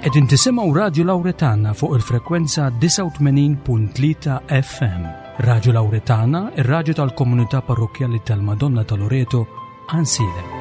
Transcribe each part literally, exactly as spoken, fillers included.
Qegħdin tisimgħu Radju Lawretana fuq il-frekwenza disgħa u tmenin punt tlieta F M. Radju Lawretana, ir-radju tal-komunità parrokkjali tal-Madonna ta' Loreto, Għajnsielem.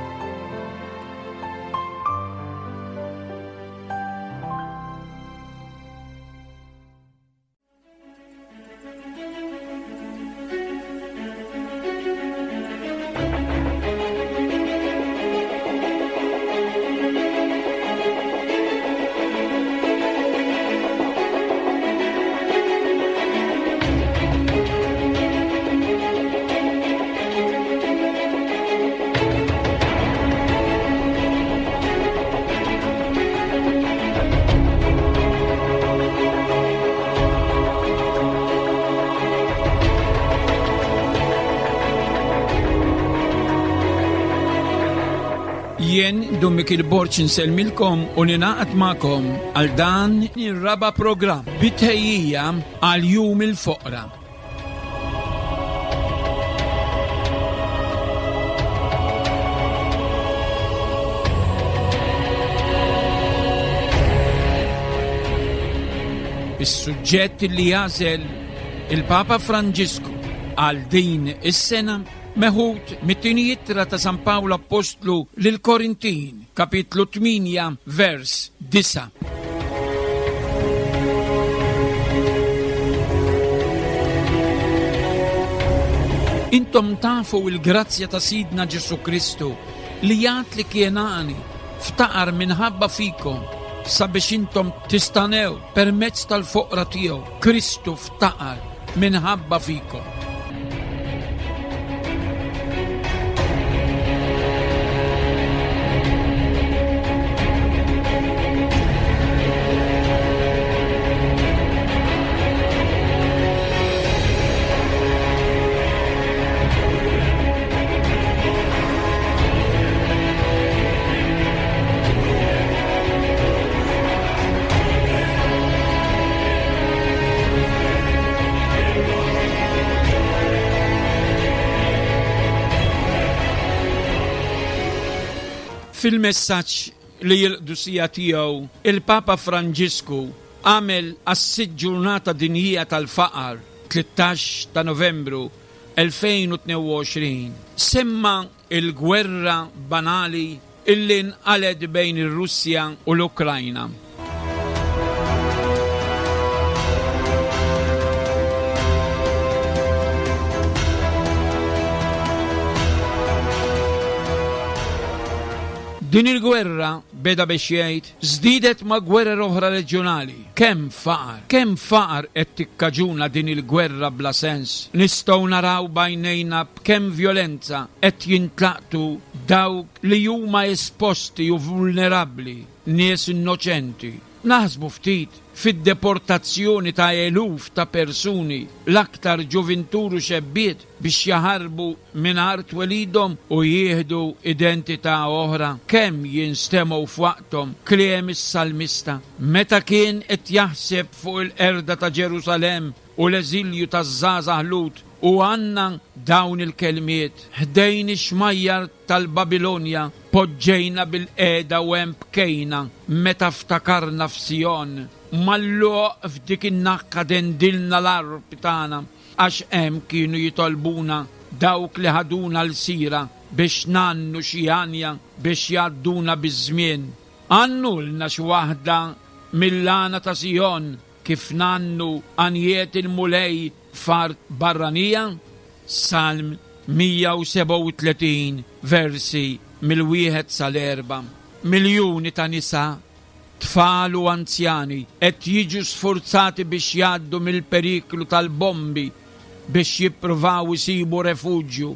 Jien Dun Mikiel Borg insellmilkom u ninaqat magħkom għal dan ir-raba' programm bitħejjija għal Jum il-Foqra. Is-suġġett li jażel il-Papa Franġisku għal din is-sena meħud mit-tieni ittra ta' San Pawl Apostlu lil Korintin, kapitlu tmienja, vers disa'. Intom tafu il-grazzja ta' Sidna Ġesu Kristu li jgħid li kien għani ftaqar minħabba fikom sabiex intom tistanew permezz tal-foqra tiegħu. Kristu ftaqar minħabba fikom. Fil-messaġġ li l-qdusija tiegħu il-Papa Franġisku għamel għas-sitt ġurnata dinjija tal-faqar tlettax ta' Novembru elfejn u tnejn u għoxrin, semma il-gwerra banali illi nqaled bejn ir-Russja u l-Ukrajna. Din il-gwerra, beda biex jgħid, żdiedet ma' gwerer oħra reġjonali. Kemm faqar, kemm faqar qed tikkaġuna din il-gwerra bla sens. Nistgħu naraw b'għajnejna b'kemm vjolenza qed jintlaqtu dawk li huma esposti u vulnerabbli, nies innoċenti. Naħsbu ftit fid-deportazzjoni ta' eluf ta' persuni, l-aktar ġuvintur u xebbiet, biex jaħarbu minn art twelidhom u jieħdu identità oħra. Kemm jinstemgħu f'waqthom kliem is-salmista meta kien qed jaħseb fuq il-qerda ta' Ġerusalemm u l-eżilju taż-żgħażagħ Lut, u għandna dawn il-kelmiet: ħdejn ix-xmajjar tal-Babilonja poġġejna bil-qeda u hemm bkejna meta ftakarna f'Sijon. Malluq f'dik in-naqqa dendilna l-arb tagħna, għax hemm kienu jitolbuna dawk li ħaduna l-sira biex nannu xi għanja biex jgħadduna biż-żmien. Għannulna xi waħda mill-għana ta' Sijon kif nannu għanjiet il-Mulej f'art barranija. Salm mija u sebgħa u tletin versi mill-wieħed sal-erba'. Miljuni ta' nisa, tfal u anzjani qed jiġu sfurzati biex jgħaddu mill-periklu tal-bombi biex jippruvaw isibu refuġju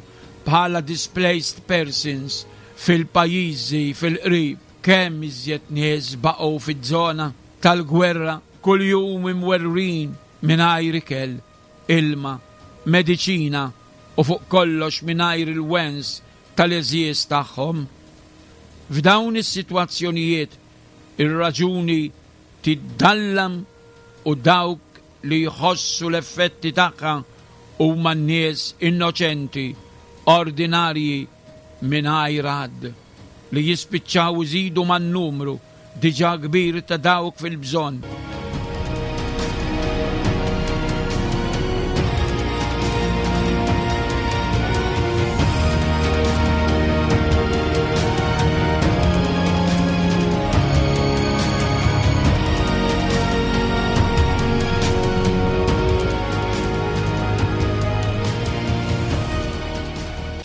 bħala displaced persons fil-pajjiżi fil-qrib. Kemm iżjed nies baqgħu fiż-żona tal-gwerra kuljum imwerwrin mingħajr ikel, ilma, mediċina u fuq kollox mingħajr il-wens tal-għeżież tagħhom. F'dawn is-sitwazzjonijiet ir-raġuni tiddallam u dawk li jħossu l-effetti tagħha huma n-nies innoċenti, ordinarji mingħajr għadd, li jispiċċaw iżidu man-numru diġà kbir ta' dawk fil-bżonn.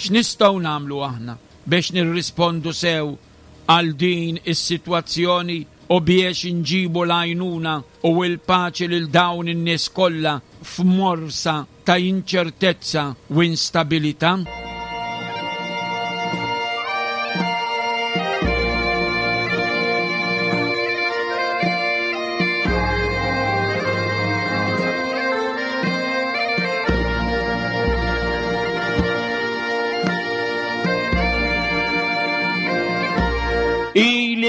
X'nistgħu nagħmlu aħna biex nirrispondu sew għal din is-sitwazzjoni u biex inġibu l-għajnuna u l-paċi lil dawn in-nies kollha f'morsa ta' inċertezza u instabilità?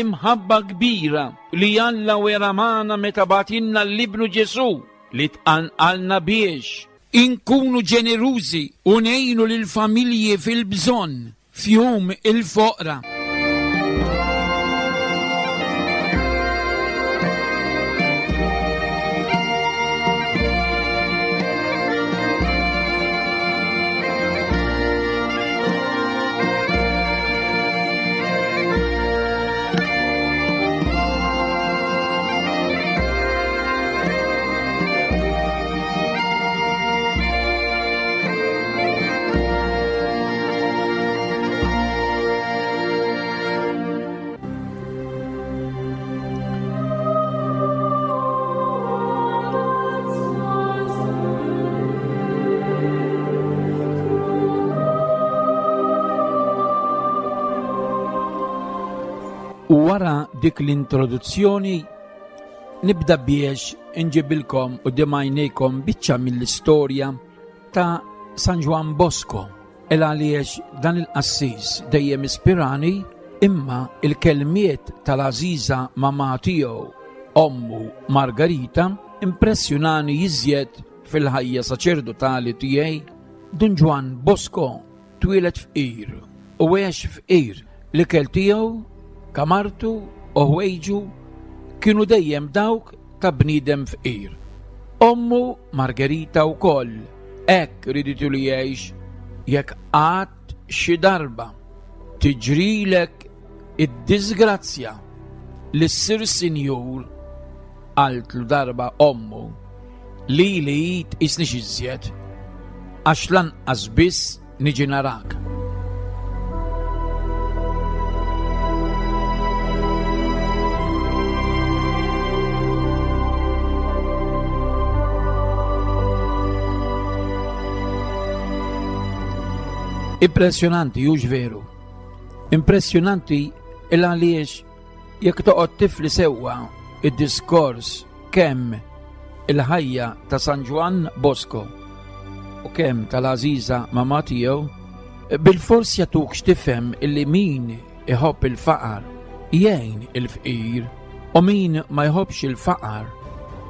L-imħabba kbira li Alla wera magħna meta bagħtilna l-Ibnu Ġesù li tqanqalna biex inkunu ġenerużi u ngħinu lill-familji fil-bżonn f'jum il-foqra. U wara dik l-introduzzjoni nibda biex inġibilkom u għajnejkom biċċa mill-istorja ta' San Ġwann Bosco, il għaliex dan il-qassis dejjem ispirani, imma il-kelmiet tal-għażiża mamà tiegħu, ommu Margarita, impressjonani iżjed fil-ħajja saċerdotali tiegħi. Dun Ġwann Bosco twieled fqir u għex fqir. L-ikel tiegħu, kamartu u ħwejġu kienu dejjem dawk ta' bniedem fqir. Ommu Margherita wkoll hekk riditu li jgħix. Jekk qatt xi darba tiġrilek id-disgrazzja li ssir sinjur, qaltlu darba ommu, lili tqisnix iżjed għax lanqas biss niġi narak. Impressjonanti, hux veru? Impressjonanti il għaliex jekk toqgħod tifli sewwa id-diskors kemm il-ħajja ta' San Ġwann Bosco u kemm tal-għażiża mamà tiegħu, bil-fors jagħtuk x'tifhem illi min iħobb il-faqar jgħin il-fqir u min ma jħobbx il-faqar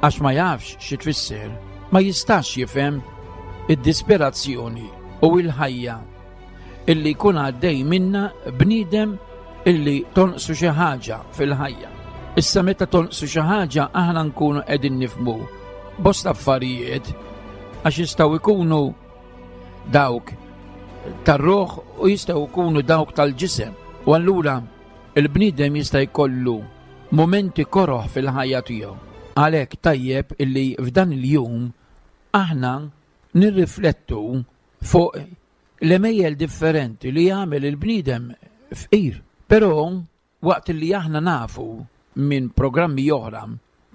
għax ma jafx xi tfisser ma jistax jifhem id-disperazzjoni u l-ħajja illi jkun għaddej minna bniedem illi tonqsu xi ħaġa fil-ħajja. Issa meta tonqsu xi ħaġa aħna nkunu qegħdin nifhmu bosta affarijiet għax jistgħu jkunu dawk tar-ruħ u jistgħu jkunu dawk tal-ġisem. U allura il-bniedem jista' jkollu momenti koroħ fil-ħajja tiegħu. Għalhekk tajjeb illi f'dan il-jum aħna nirriflettu fuq l-emejjel differenti li jagħmel il-bniedem fqir. Però waqt li aħna nafu minn programmi oħra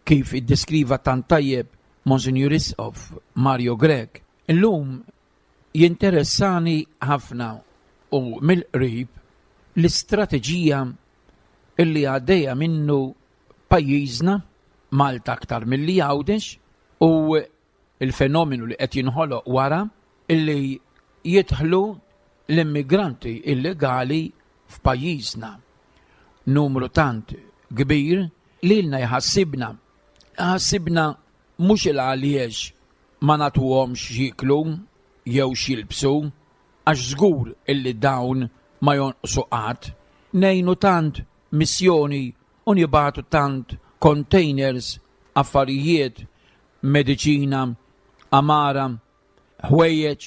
kif iddeskriva tant tajjeb Monsignor Isqof Mario Grech, illum jinteressani ħafna u mill-qrib l-istrateġija illi għaddejja minnu pajjiżna, Malta aktar milli Għawdex, u il-fenomenu li qed jinħoloq wara illi jidħlu l-immigranti illegali f'pajjiżna. Numru tant kbir lilna jħassibna. Ħassibna mhux il għaliex ma nagħtuhomx x'jieklu jew x'jilbsu, għax żgur illi dawn ma jonqsu qatt. Ngħinu tant missjoni u nibagħtu tant containers, affarijiet, mediċina, għamara, ħwejjeġ,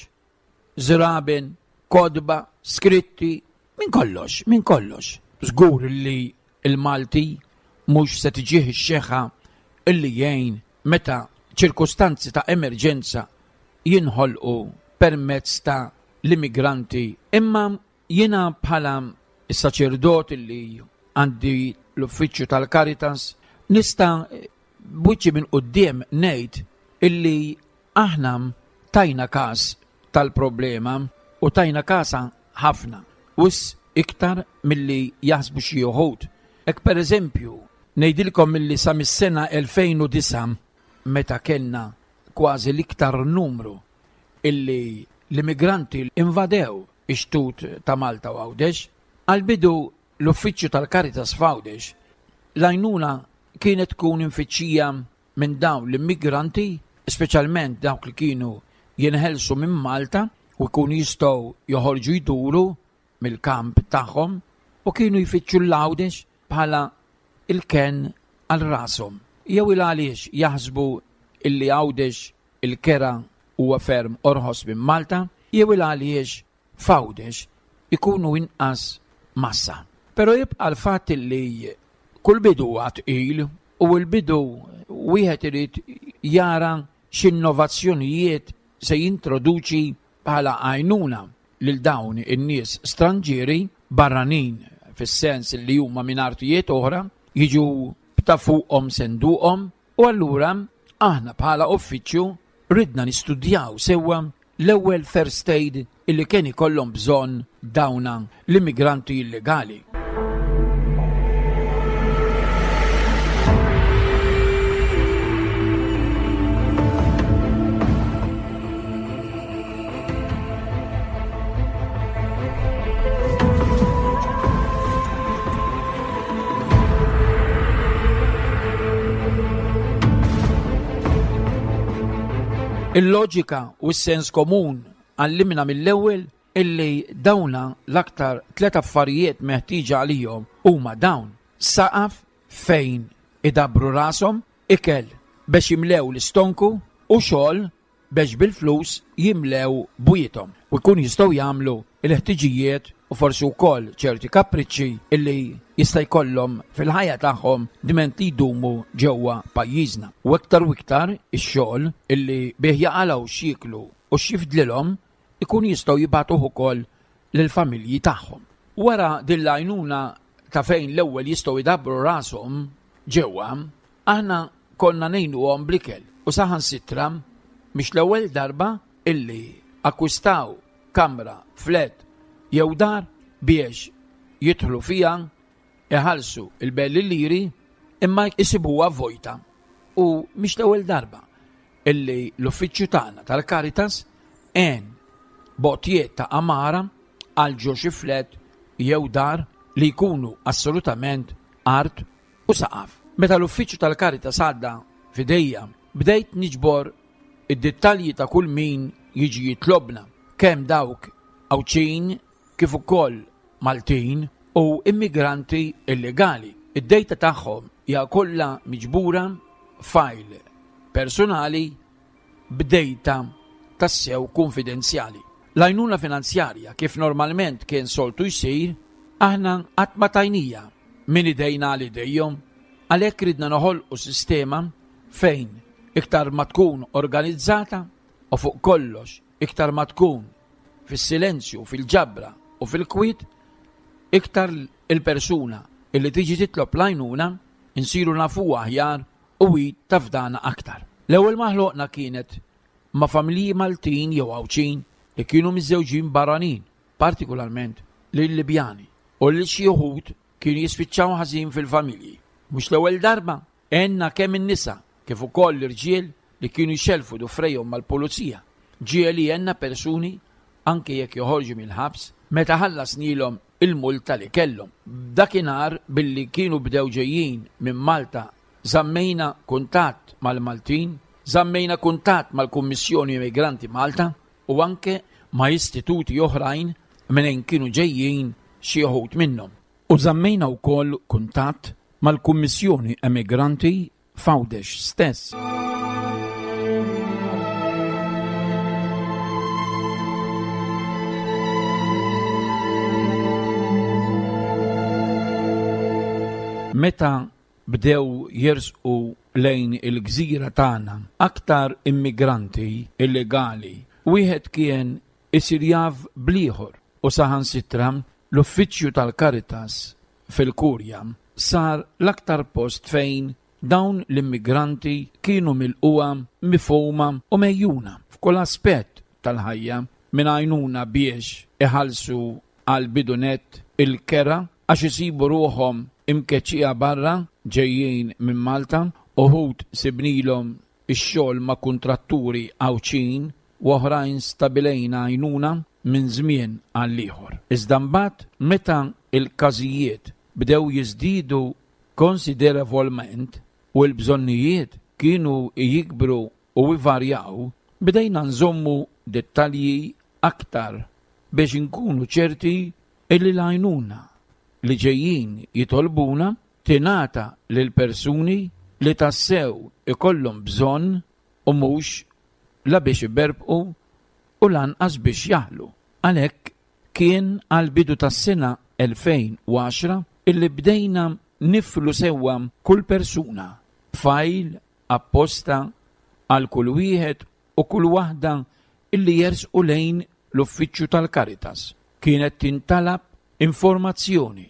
żraben, kotba, skritti, minn kollox, minn kollox. Żgur li l-Malti mhux se tiġih ix-xeħħa illi jgħin meta ċirkustanzi ta' emerġenza jinħolqu permezz ta' l-immigranti. Imma jiena bħala s-saċerdot li għandi l-uffiċċju tal-Caritas nista' b'wiċċi minn quddiem ngħid illi aħna tajna każ tal-problema u tajna kasha ħafna, wisq iktar milli jaħsbu xi wħud. Hekk pereżempju ngħidilkom milli sa mis-sena elfejn u disgħa meta kellna kważi l-iktar numru illi l-immigranti invadew ix-xtut ta' Malta u Għawdex, għall-bidu l-uffiċċju tal-Caritas f'Għawdex l-għajnuna kienet tkun infittxija minn dawn l-immigranti, speċjalment dawk li kienu jinħelsu minn Malta u jkunu jistgħu joħorġu jduru mill-kamp tagħhom u kienu jfittxu l-Għawdex bħala il-ken għal rashom. Jew il għaliex jaħsbu illi Għawdex il-kera huwa ferm orħos minn Malta, jew il għaliex f'Għawdex ikunu inqas massa. Però jibqa' l-fatt illi kull bidu huwa tqil u l-bidu wieħed irid jara x'innovazzjonijiet se jintroduċi bħala għajnuna lil dawn in-nies stranġieri barranin fis-sens li huma minn artijiet oħra jiġu b'ta' fuqhom senduqhom, u allura aħna bħala uffiċċju ridna nistudjaw sewwa l-ewwel first aid illi kien ikollhom bżonn dawna l-immigranti illegali. Il-loġika u s-sens komun għallimna mill-ewwel illi dawna l-aktar tliet affarijiet meħtieġa għalihom huma dawn: saqaf fejn idabru rashom, ikel biex jimlew l-istonku u xogħol biex bil-flus jimlew bwiethom u jkun jistgħu jagħmlu l-ħtiġijiet u forsi wkoll ċerti kapriċċi illi jista' jkollhom fil-ħajja tagħhom diment li jdumu ġewwa pajjiżna. U iktar u iktar ix-xogħol illi bih jaqalgħu x'jieklu u x'jifdlilhom ikun jistgħu jibgħatuh ukoll lill-familji tagħhom. Wara din l-għajnuna ta' fejn l-ewwel jistgħu jdabbru rashom ġewwa, aħna konna ngħinuhom bl-ikel u saħansitra mhix l-ewwel darba illi akkwistaw kamra, flat jew dar biex jidħlu fiha, iħallsu il-belli liri imma jsibuha vojta. U mhix l-ewwel darba illi l-uffiċċju tagħna tal-Caritas għen botjiet ta' għamara għal ġo xi flat jew dar li jkunu assolutament art u saqaf. Meta l-uffiċċju tal-Caritas għadda f'idejja, bdejt niġbor id-dettalji ta' kull min jiġi jitlobna, kemm dawk Għawdxin kif ukoll Maltin u immigranti illegali. Id-dejta tagħhom hija kollha miġbura f'fajl personali b'dejta tassew konfidenzjali. L-għajnuna finanzjarja kif normalment kien soltu jsir, aħna qatt ma tajnija minn idejna għal idejhom, għalhekk ridna noħolqu sistema fejn iktar ma tkun organizzata u fuq kollox iktar ma tkun fis-silenzju, fil-ġabra u fil-kwiet, iktar il-persuna illi tiġi titlob l-għajnuna insiru nafuha aħjar u hi tafdana aktar. L-ewwel ma ħloqna kienet ma' familji Maltin jew Għawdxin li kienu miżżewġin barranin, partikolarment lil Libjani, u li xi wħud kienu jispiċċaw ħażin fil-familji. Mhux l-ewwel darba għenna kemm in-nisa kif ukoll l-irġiel li kienu jxellfu dufrejhom mal-pulizija. Ġieli għenna persuni anke jekk joħorġu mill-ħabs meta ħallasnilhom il-multa li kellhom. Dakinhar billi kienu bdew ġejjin minn Malta żammejna kuntatt mal-Maltin, żammejna kuntatt mal-Kummissjoni Immigranti Malta u anke ma' istituti oħrajn minn kienu ġejjin xi wħud minnhom. U żammejna wkoll kuntatt mal-Kummissjoni Emigranti f'Għawdex stess. Meta bdew jersqu lejn il-gżira tagħna aktar immigranti illegali, wieħed kien isir jaf bl-ieħor u saħansitra l-uffiċċju tal-Caritas fil-Kurja sar l-aktar post fejn dawn l-immigranti kienu milquha, mifhuma u mejjuna f'kull aspett tal-ħajja, minn għajnuna biex iħallsu għal bidunet il-kera għax isibu ruħhom imkeċċija barra ġejjin minn Malta, uħud sibnilhom ix-xogħol ma' kuntratturi Għawdxin u oħrajn stabilejna għajnuna minn żmien għal ieħor. Iżda mbagħad meta l-każijiet bdew jiżdiedu konsiderevolment u l-bżonnijiet kienu jikbru u jvarjaw, bdejna nżommu dettalji aktar biex inkunu ċerti illi l-għajnuna li ġejjin jitolbuna tingħata lil persuni li tassew ikollhom bżonn u mhux la biex iberbqu u lanqas biex jaħlu. Għalhekk kien għall-bidu tas-sena elfejn u għaxra illi bdejna niflu sewwa kull persuna b'fajl apposta għal kull wieħed u kull waħda illi jersqu lejn l-uffiċċju tal-Caritas. Kienet tintalab informazzjoni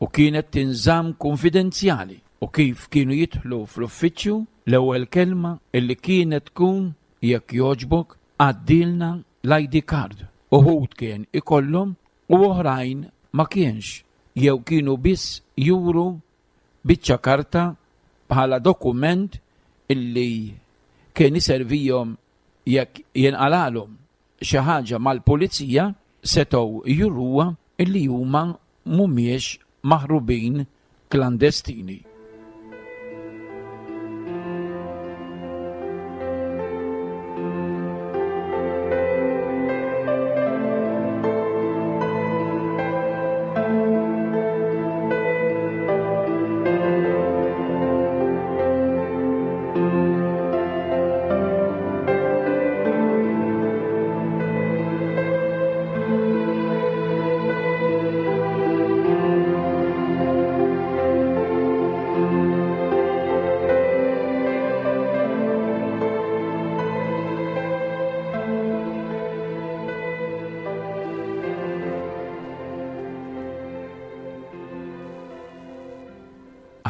u kienet tinżamm konfidenzjali, u kif kienu jidħlu fl-uffiċċju l-ewwel kelma illi kienet tkun jekk jogħġbok għaddilna l-I D card. Uħud kien ikollhom u oħrajn ma kienx, jew kienu biss juru biċċa karta bħala dokument illi kien iservihom jekk jinqalalhom xi ħaġa mal-pulizija setgħu juruha illi huma mhumiex maħrubin klandestini.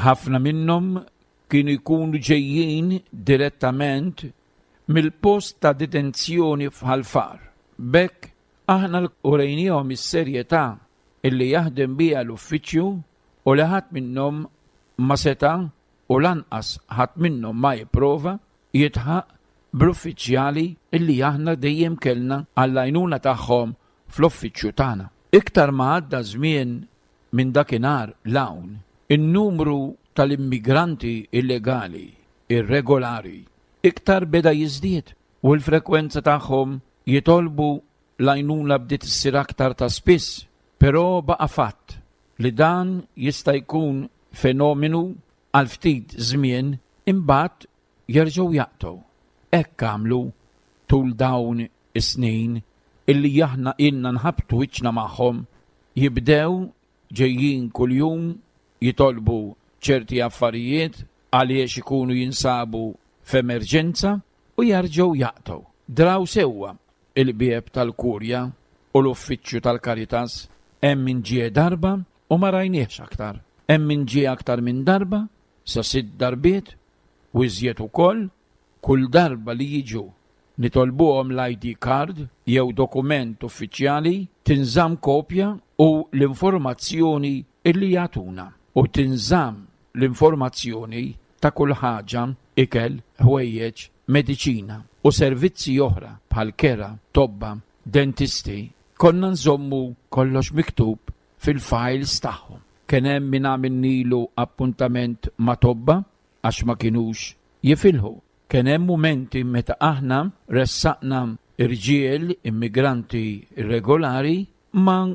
Ħafna minnhom kienu jkunu ġejjin direttament mill-post ta' detenzjoni f'Ħal Far. B'hekk aħna urejniehom is-serjetà illi jaħdem biha l-uffiċċju u li ħadd minnhom ma seta' u lanqas ħadd minnhom ma jipprova jitħaq bl-uffiċjali illi aħna dejjem kellna għall-għajnuna tagħhom fl-uffiċċju tagħna. Iktar ma għadda żmien minn dakinhar l-hawn, in-numru tal-immigranti illegali, irregolari, iktar beda jiżdied u l-frekwenza tagħhom jitolbu l-għajnuna bdiet issir aktar ta' spiss, però baqa' fatt li dan jista' jkun fenomenu għal ftit żmien imbagħad jerġgħu jaqtgħu. Hekk għamlu tul dawn is-snin illi aħna ilna nħabtu wiċċna magħhom, jibdew ġejjin kuljum jitolbu ċerti affarijiet għaliex ikunu jinsabu f'emerġenza u jerġgħu jaqtgħu. Draw sewwa il-bieb tal-Kurja u l-uffiċċju tal-Caritas, hemm min ġie darba u ma rajniehx aktar. Hemm min ġie aktar minn darba, sa sitt darbiet u iżjed ukoll, kull darba li jiġu nitolbuhom l-I D card jew dokument uffiċjali, tinżamm kopja u l-informazzjoni illi jagħtuna, u tinżamm l-informazzjoni ta' kull ħaġa, ikel, ħwejjeġ, mediċina u servizzi oħra bħal kera, tobba, dentisti. Konna nżommu kollox miktub fil-files tagħhom. Kien hemm min għamilnilu appuntament ma' tobba għax ma kinux jifilħu. Kien hemm mumenti meta aħna ressaqna irġiel immigranti irregolari ma'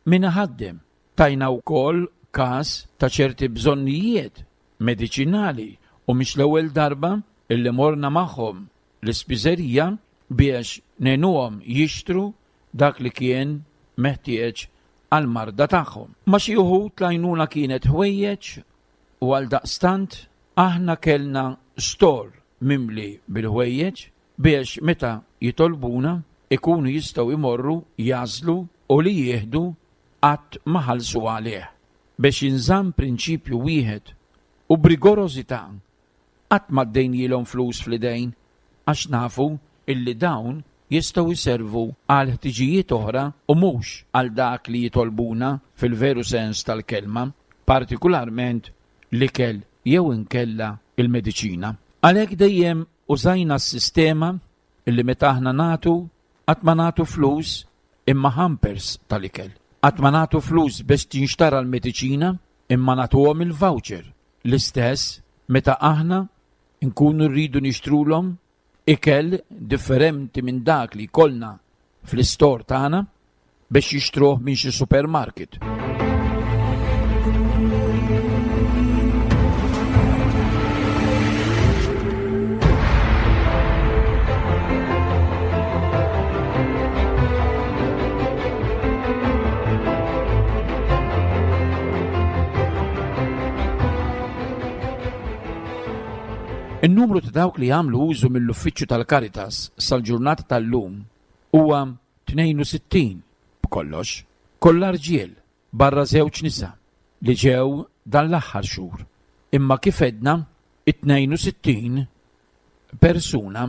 min ħaddem. Tajna wkoll każ ta' ċerti bżonnijiet mediċinali u mhix l-ewwel darba illi morna magħhom l-ispiżerija biex ngħinuhom jixtru dak li kien meħtieġ għall-marda tagħhom. Ma' xi wħud l-għajnuna kienet ħwejjeġ u għaldaqstant aħna kellna store mimli bil-ħwejjeġ biex meta jitolbuna ikunu jistgħu jmorru jagħżlu u li jieħdu qatt ma ħallsu għalih. Biex jinżamm prinċipju wieħed u b'rigorożità qatt ma ddejnielhom flus fl-idejn għax nafu illi dawn jistgħu jservu għal ħtiġijiet oħra u mhux għal dak li jitolbuna fil-veru sens tal-kelma, partikularment l-ikel jew inkella il-mediċina. Għalhekk dejjem użajna s-sistema illi meta aħna nagħtu qatt ma nagħtu flus imma hampers tal-ikel. Qatt ma nagħtu flus biex tinxtara l-mediċina imma nagħtuhom il-voucher. L-istess meta aħna nkunu rridu nixtrulhom ikel differenti minn dak li jkollna fl-istor tagħna biex jixtruh minn xi supermarket. In-numru ta' dawk li jagħmlu użu mill-uffiċċju tal-Caritas sal-ġurnata tal-lum huwa tnejn u sittin b'kollox, kollha rġiel barra żewġ nisa li ġew dan l-aħħar xhur. Imma kif għedna, it-tnejn u sittin persuna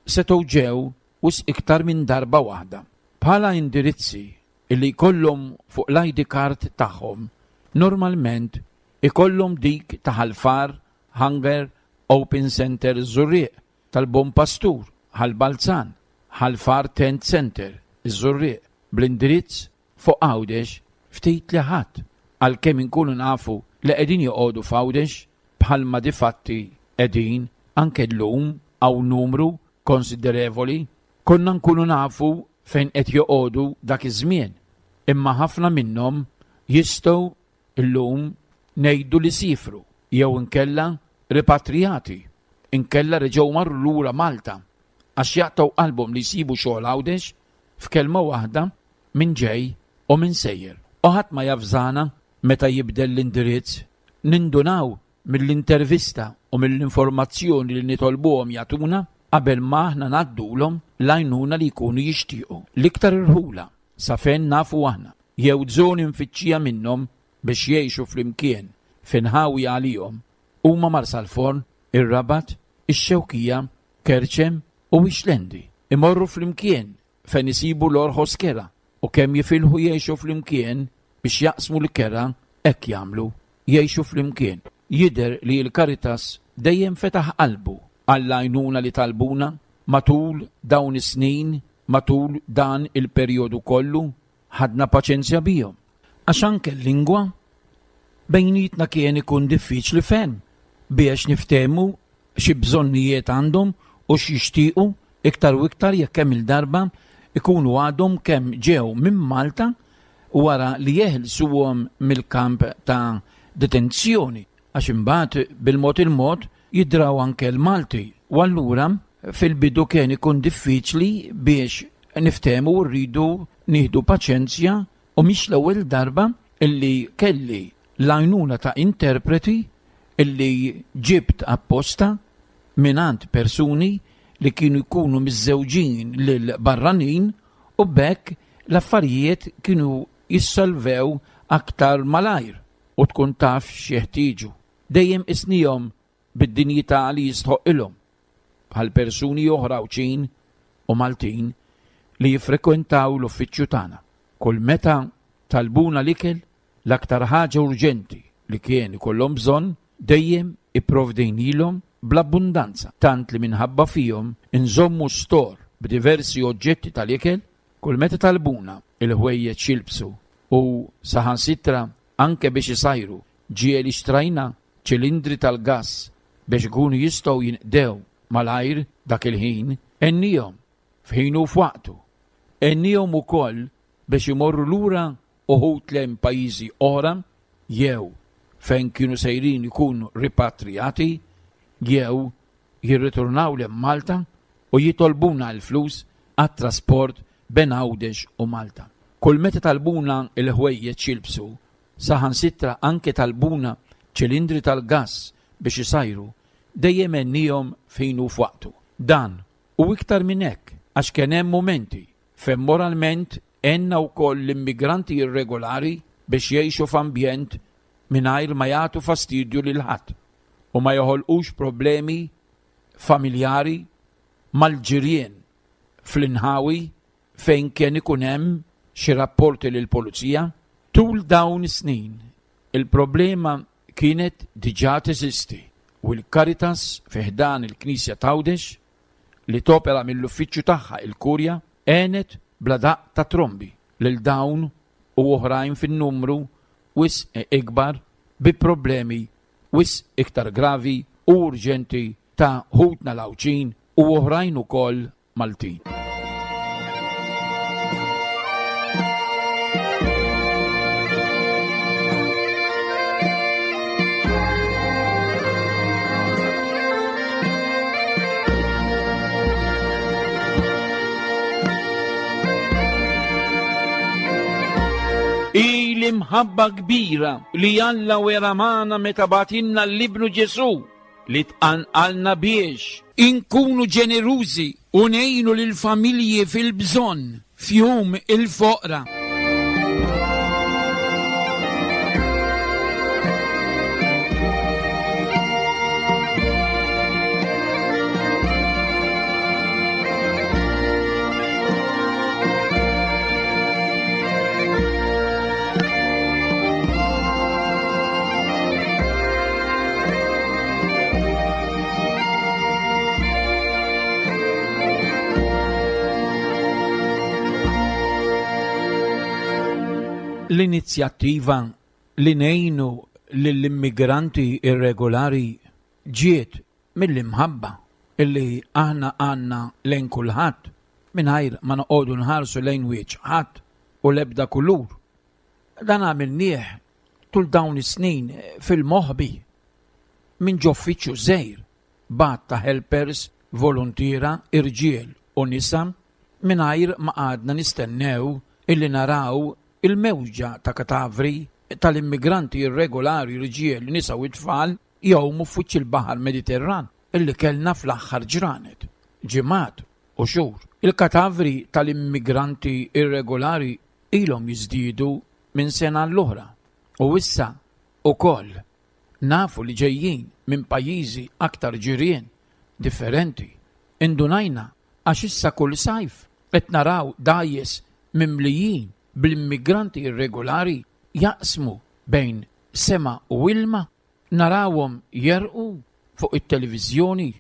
setgħu ġew wisq iktar minn darba waħda. Bħala indirizzi illi jkollhom fuq l-I D card tagħhom, normalment ikollhom dik ta' Ħal Far, Hunger, Open Center Żurrieq, tal-Bon Pastur, Ħal Balzan, Ħal Far Tent Center, Żurrieq, bl-indirizz fuq Għawdex ftit li ħadd, għalkemm inkunu nafu li qegħdin joqogħdu f'Għawdex bħalma difatti qegħdin anke llum hawn numru konsiderevoli, konna nkunu nafu fejn qed joqogħdu dak iż-żmien, imma ħafna minnhom jistgħu llum ngħidu li sifru jew inkella ripatrijati, inkella reġgħu marru lura Malta għax jaqtgħu qalbhom li jsibu xogħol Għawdex f'kelma waħda minn ġej u minn sejjer. U ħadd ma jafżana meta jibdel l-indirizz, nindunaw mill-intervista u mill-informazzjoni li nitolbuhom jagħtuna qabel ma aħna ngħaddulhom l-għajnuna li jkunu jixtiequ. L-iktar irħula sa fejn nafu aħna jew żoni mfittxija minnhom biex jgħixu flimkien f'inħawi għalihom huma Marsalforn, ir-Rabat, ix-Xewkija, Kerċem u Ixlendi. Imorru flimkien fejn isibu l-orħos kera u kemm jifilħu jgħixu flimkien biex jaqsmu l-kera hekk jagħmlu, jgħixu flimkien. Jidher li l-Caritas dejjem fetaħ qalbu għall-għajnuna li talbuna matul dawn is-snin, matul dan il-perjodu kollu, ħadna paċenzja bihom. Għax anke l-lingwa bejnietna kien ikun diffiċli ferm biex niftehmu xi bżonnijiet għandhom u x'jixtiequ iktar u iktar jekk kemm il-darba ikunu għadhom kemm ġew minn Malta wara li jeħilsuhom mill-kamp ta' detenzjoni, għax imbagħad bil-mod il-mod jidraw anke l-Malti. U allura fil-bidu kien ikun diffiċli biex niftehmu u rridu nieħdu paċenzja, u mhix l-ewwel darba illi kelli l-għajnuna ta' interpreti illi ġibt apposta mingħand persuni li kienu jkunu miżżewġin lil barranin u b'hekk l-affarijiet kienu jissolvew aktar malajr u tkun taf x'jeħtieġu. Dejjem isnihom bid-dinjità li jistħoqilhom bħal persuni oħra Għawdxin u Maltin li jiffrekwentaw l-uffiċċju tagħna. Kull meta talbuna l-ikel, l-aktar ħaġa urġenti li kien ikollhom bżonn dejjem ipprovdejnilhom bl-abbundanza, tant li minħabba fihom inżommu stor b'diversi oġġetti tal-ikel. Kull meta talbuna il-ħwejjeġ jilbsu u saħansitra anke biex isajru, ġieli xtrajna ċilindri tal-gass biex ikunu jistgħu jinqdew malajr dak il-ħin, għennihom f'ħinu u f'waqtu. Għennihom ukoll biex imorru lura uħud lejn pajjiżi oħra jew fejn kienu sejrin ikunu ripatrijati jew jirritornaw lejn Malta u jitolbuna l-flus għat-trasport bejn Għawdex u Malta. Kull meta talbuna il-ħwejjeġ jilbsu, saħansitra anke talbuna ċilindri tal-gass biex isajru, dejjem għenniehom fejn hu f'waqtu. Dan u iktar minn hekk, għax kien hemm mumenti fejn moralment għenna wkoll l-immigranti irregolari biex jgħixu f'ambjent mingħajr ma jagħtu fastidju lil ħadd u ma joħolqux problemi familjari mal-ġirien fl-inħawi fejn kien ikun hemm xi rapporti lill-pulizija. Tul dawn is-snin il-problema kienet diġà teżisti u l-Caritas fi ħdan il-Knisja t'Għawdex li topera mill-uffiċċju tagħha il-Kurja għenet bla daqq ta' trombi lil dawn u oħrajn fin-numru wisq ikbar bi problemi wisq iktar gravi u urġenti ta' ħutna l-Għawdxin u oħrajn ukoll Maltin. Hi l-imħabba kbira li Alla wera magħna meta bagħtilna lil Ibnu Ġesù li tqanqalna biex inkunu ġenerużi u ngħinu lill-familji fil-bżonn f'jum il-foqra. L-inizjattiva li ngħinu lill-immigranti irregolari ġiet mill-imħabba illi aħna għandna lejn kulħadd mingħajr ma noqogħdu nħarsu lejn wiċċ ħadd u l-ebda kulur. Dan għamilnieh tul dawn is-snin fil-moħbi minn ġoffiċċju żgħir b'għadd ta' helpers, voluntiera, irġiel u nisa mingħajr ma qgħadna nistennew illi naraw il-mewġa ta' katavri tal-immigranti irregolari, irġiel, nisa u tfal jgħumu f'wiċċ il-Baħar Mediterran illi kellna fl-aħħar ġranet, ġimgħat u xhur. Il-katavri tal-immigranti irregolari ilhom jiżdiedu minn sena l-oħra u issa ukoll nafu li ġejjin minn pajjiżi aktar ġirien differenti. Indunajna għax issa kull sajf qed naraw dgħajjes mimlijin bl-immigranti irregolari jaqsmu bejn sema u ilma, narawhom jerqu fuq it-televiżjoni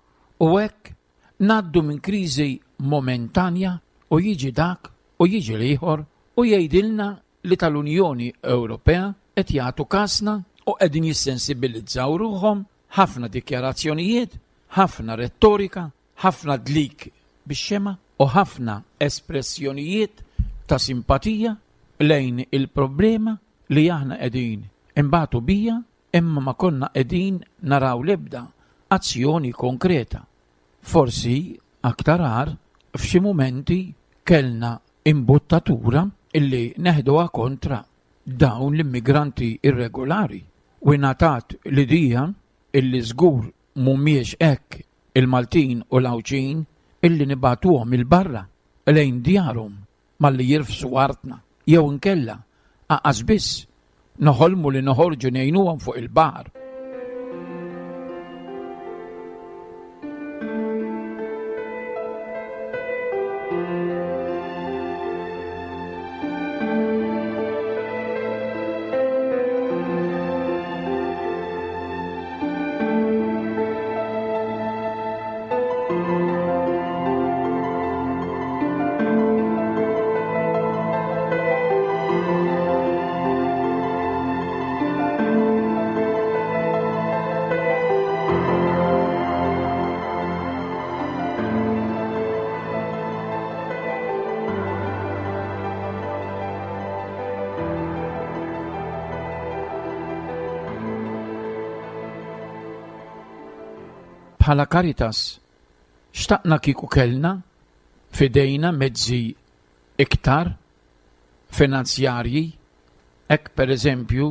u hekk ngħaddu minn kriżi momentanja u jiġi dak u jiġi l-ieħor u jgħidilna li tal-Unjoni Ewropea qed jagħtu kasna u qegħdin jissensibilizzaw ruħhom, ħafna dikjarazzjonijiet, ħafna rettorika, ħafna dlik bix-xema u ħafna espressjonijiet ta' simpatija lejn il-problema li aħna qegħdin imbagħtu bija, imma ma konna qegħdin naraw l-ebda azzjoni konkreta. Forsi aktar agħar f'xi mumenti kellna imbuttatura illi neħduha kontra dawn l-immigranti irregolari u ngħatat l-idea illi żgur mhumiex hekk il-Maltin u l-Għawdxin illi nibagħtuhom il-barra lejn djarhom malli jirfsu artna jew inkella aqas biss noħolmu li noħorġu ngħinuhom fuq il-baħar. bħala Caritas xtaqna kieku kellna f'idejna mezzi iktar finanzjarji, hekk pereżempju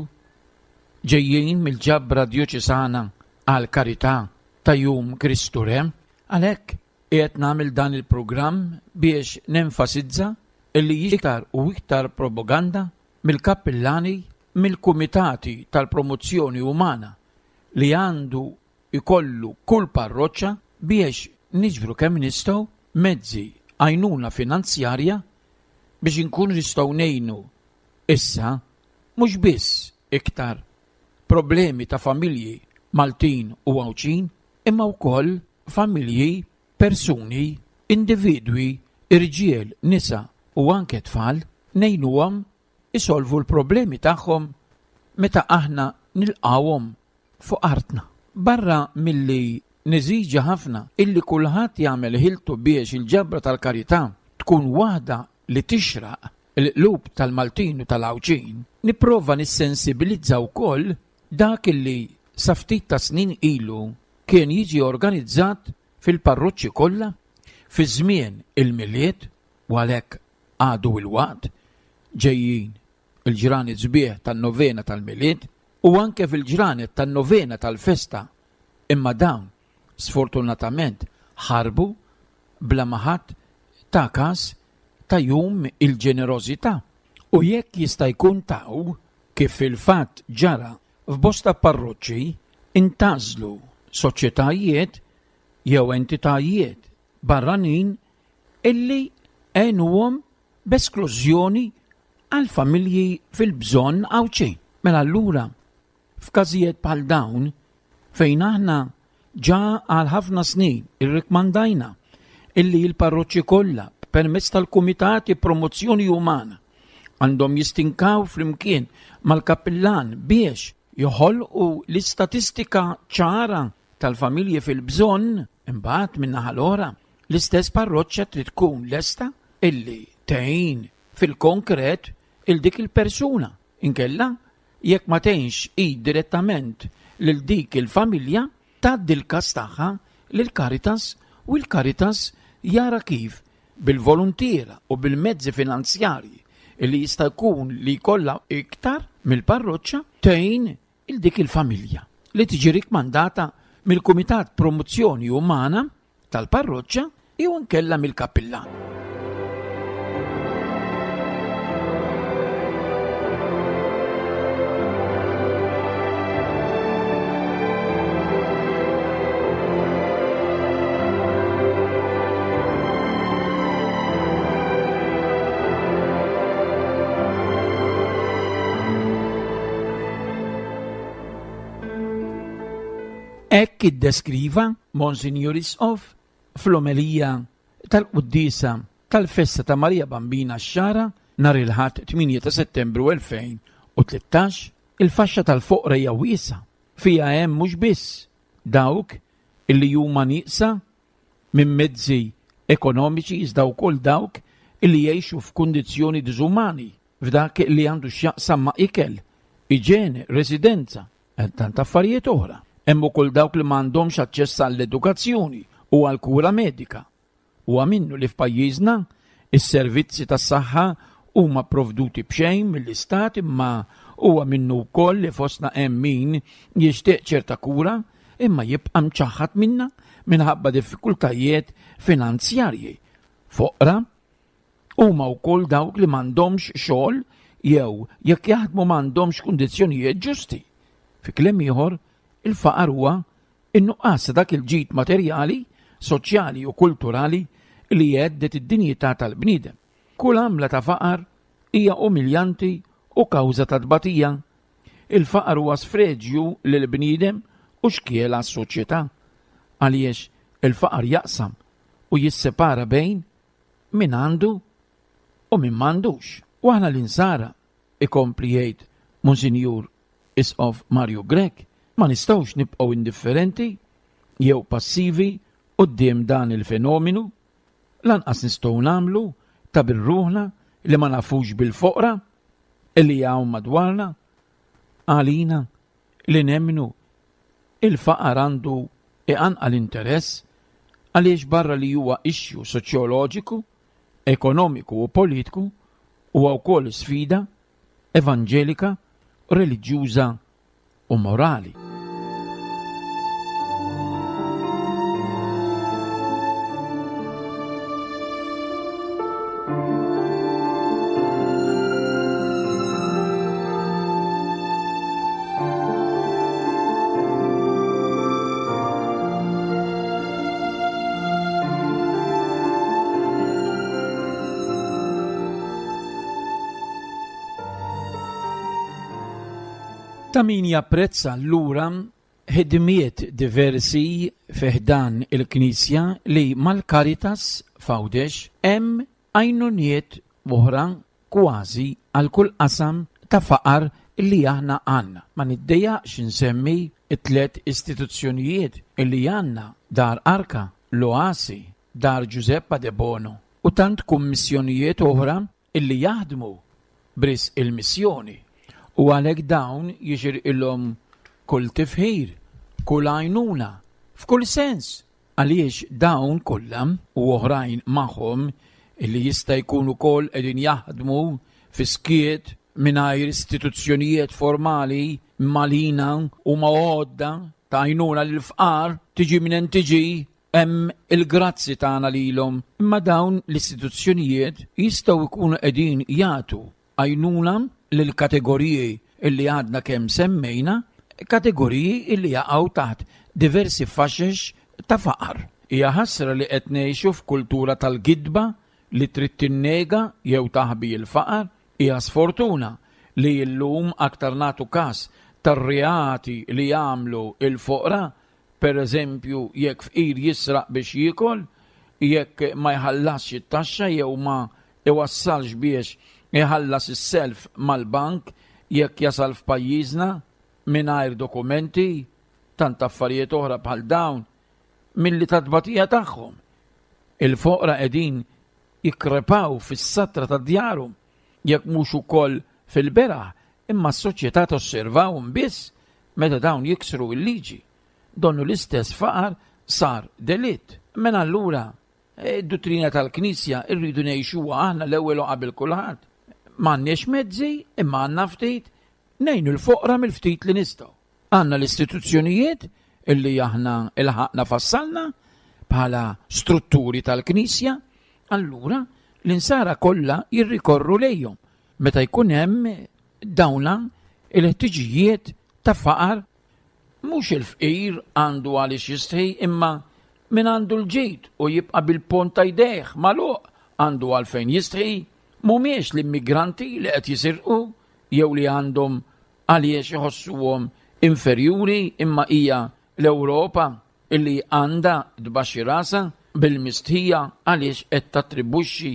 ġejjin mill-ġabra djoċesana għal karità ta' Jum Kristu Re. Għalhekk qiegħed nagħmel dan il-programm biex nenfasizza illi iktar u iktar propaganda mill-kappillani, mill-kumitati tal-promozzjoni umana li għandu ikollu kull parroċċa biex niġbru kemm nistgħu mezzi għajnuna finanzjarja biex inkunu nistgħu ngħinu issa mhux biss iktar problemi ta' familji Maltin u Għawdxin, imma wkoll familji, persuni, individwi, irġiel, nisa u anke tfal, ngħinuhom isolvu l-problemi tagħhom meta aħna nilqawhom fuq artna. Barra milli neżiġi ħafna illi kulħadd jagħmel ħiltu biex il-ġabra tal-karità tkun waħda li tixraq il-qlub tal-Maltin u tal-Għawdxin, nipprova nissensibilizza wkoll dak illi sa ftit ta' snin ilu kien jiġi organizzat fil-parroċċi kollha fi żmien il-Milied, u għalhekk għadu il-waqt ġejjin il-ġranet sbieħ tan-novena tal-Milied u anke fil-ġranet tan-novena tal-festa, imma dawn sfortunatament ħarbu bla ma ħadd ta' każ ta' jum il-ġenerożità. U jekk jista' jkun taw, kif fil-fatt ġara f'bosta parroċċi, intażlu soċjetajiet jew entitajiet barranin illi għenuhom b'esklużjoni għal familji fil-bżonn Għawdxin. Mela allura, f'każijiet bħal dawn, fejn aħna ġa għal ħafna snin irrikmandajna illi l-parroċċi kollha permezz tal-Kumitati Promozzjoni Umana għandhom jistinkaw flimkien mal-kappillan biex joħolqu l-istatistika ċara tal-familji fil-bżonn, imbagħad min-naħa l-oħra l-istess parroċċa trid tkun lesta illi tgħin fil-konkret il dik il-persuna. Inkella jekk ma tgħinx hi direttament lil dik il-familja, tgħaddi l-każ tagħha lil Caritas u l-Caritas jara kif bil-volontiera u bil-mezzi finanzjarji illi jista' jkun li jkollha iktar mill-parroċċa tgħin il dik il-familja li tiġi rikmandata mill-Kumitat Promozzjoni Umana tal-parroċċa jew inkella mill-kappillan. Hekk iddeskriva Monsinjur Isqof fl-omelija tal-Quddiesa tal-Festa ta' Marija Bambina x-Xagħra nhar il-Ħadd tmienja ta' Settembru elfejn u tlettax. Il-faxxa tal-foqra hija wiesgħa, fiha hemm mhux biss dawk illi huma nieqsa minn mezzi ekonomiċi iżda wkoll dawk illi jgħixu f'kundizzjoni diżumani f'dak li għandu x'jaqsam ma' ikel, iġene, residenza, tant affarijiet oħra. Hemm ukoll dawk li m'għandhomx aċċess għall-edukazzjoni u għall-kura medika. Huwa minnu li f'pajjiżna is-servizzi tas-saħħa huma pprovduti b'xejn mill-istat, imma huwa minnu wkoll li fostna hemm min jixtieq ċerta kura imma jibqa' mċaħħad minnha minħabba diffikultajiet finanzjarji. Foqra huma wkoll dawk li m'għandhomx xogħol jew jekk jaħdmu m'għandhomx kundizzjonijiet ġusti. Fi kliem ieħor, il-faqar huwa in-nuqqas ta' dak il-ġid materjali, soċjali u kulturali li jgħeddet id-dinjità tal-bniedem. Kull għamla ta' faqar hija umiljanti u kawża ta' tbatija. Il-faqar huwa sfreġju lil bniedem u xkiel għas-soċjetà, għaliex il-faqar jaqsam u jissepara bejn min għandu u min m'għandux. U aħna l-insara, ikompli jgħid Monsinjur Isqof Mario Grech, ma nistgħux nibqgħu indifferenti jew passivi quddiem dan il-fenomenu, lanqas nistgħu nagħmlu ta' birruħna li ma nafux bil-foqra li hawn madwarna. Għalina li nemmnu il-faqar għandu Iqanqal interess għaliex barra li huwa issue soċjoloġiku, ekonomiku u politiku, huwa wkoll sfida evanġelika, reliġjuża u morali. Ta' min japprezza allura ħidmiet diversi fi ħdan il-Knisja li mal-Caritas f'Għawdex hemm għajnuniet oħra kważi għal kull qasam ta' faqar li aħna għandna. Ma niddejjaqx insemmi it-tliet istituzzjonijiet li għandna: Dar Arka, l-Oasi, Dar Giuseppa De Bono u tant kummissjonijiet oħra illi jaħdmu b'risq il-missjoni. U għalhekk dawn jixirqilhom kull tifħir, kull għajnuna, f'kull sens, għaliex dawn kollha u oħrajn magħhom illi jista' jkunu wkoll qegħdin jaħdmu fi skiet mingħajr istituzzjonijiet formali malina u ma' għodda ta' għajnuna lill-fqar, tiġi minn tiġi, hemm il-grazzi tagħna lilhom. Imma dawn l-istituzzjonijiet jistgħu jkunu qegħdin jagħtu għajnuna lill-kategoriji illi għadna kemm semmejna, kategoriji illi jaqgħu taħt diversi faxex ta' faqar. Hija ħasra li qed ngħixu f'kultura tal-gidba li trid tinnega jew taħbi l-faqar. Hija sfortuna li llum aktar nagħtu każ tar-reati li jagħmlu l-foqra, per eżempju jekk fqir jisraq biex jiekol, jekk ma jħallasx it-taxxa jew ma iwassalx biex iħallas is-self mal-bank jekk jasal f'pajjiżna mingħajr dokumenti, tant affarijiet oħra bħal dawn milli tat-tbatija tagħhom. Il-foqra qegħdin jikkrepaw fis-satra ta' djarhom, jekk mhux ukoll fil-beraħ, imma s-soċjetà tosservawhom biss meta dawn jiksru l-liġi. Donnu l-istess faqar sar delitt. Mela allura id-duttrina tal-Knisja rridu ngħixuha aħna l-ewwel u qabel kulħadd. M'għandniex mezzi, imma għandna ftit, ngħinu l-foqra mill-ftit li nistgħu. Għandna l-istituzzjonijiet illi aħna ilħaqna fassalna bħala strutturi tal-Knisja, allura l-insara kollha jirrikorru lejhom meta jkun hemm dawna il-ħtiġijiet ta' faqar. Mhux il-fqir għandu għaliex jistħi, imma min għandu l-ġid u jibqa' bil-pont ta' jdejh magħluq għandu għalfejn jistħi. Mhumiex l-immigranti li qed jisirqu jew li għandhom għaliex iħossuhom inferjuri, imma hija l-Ewropa illi għandha tbaxxi rasha bil-mistħija għaliex qed tattribwixxi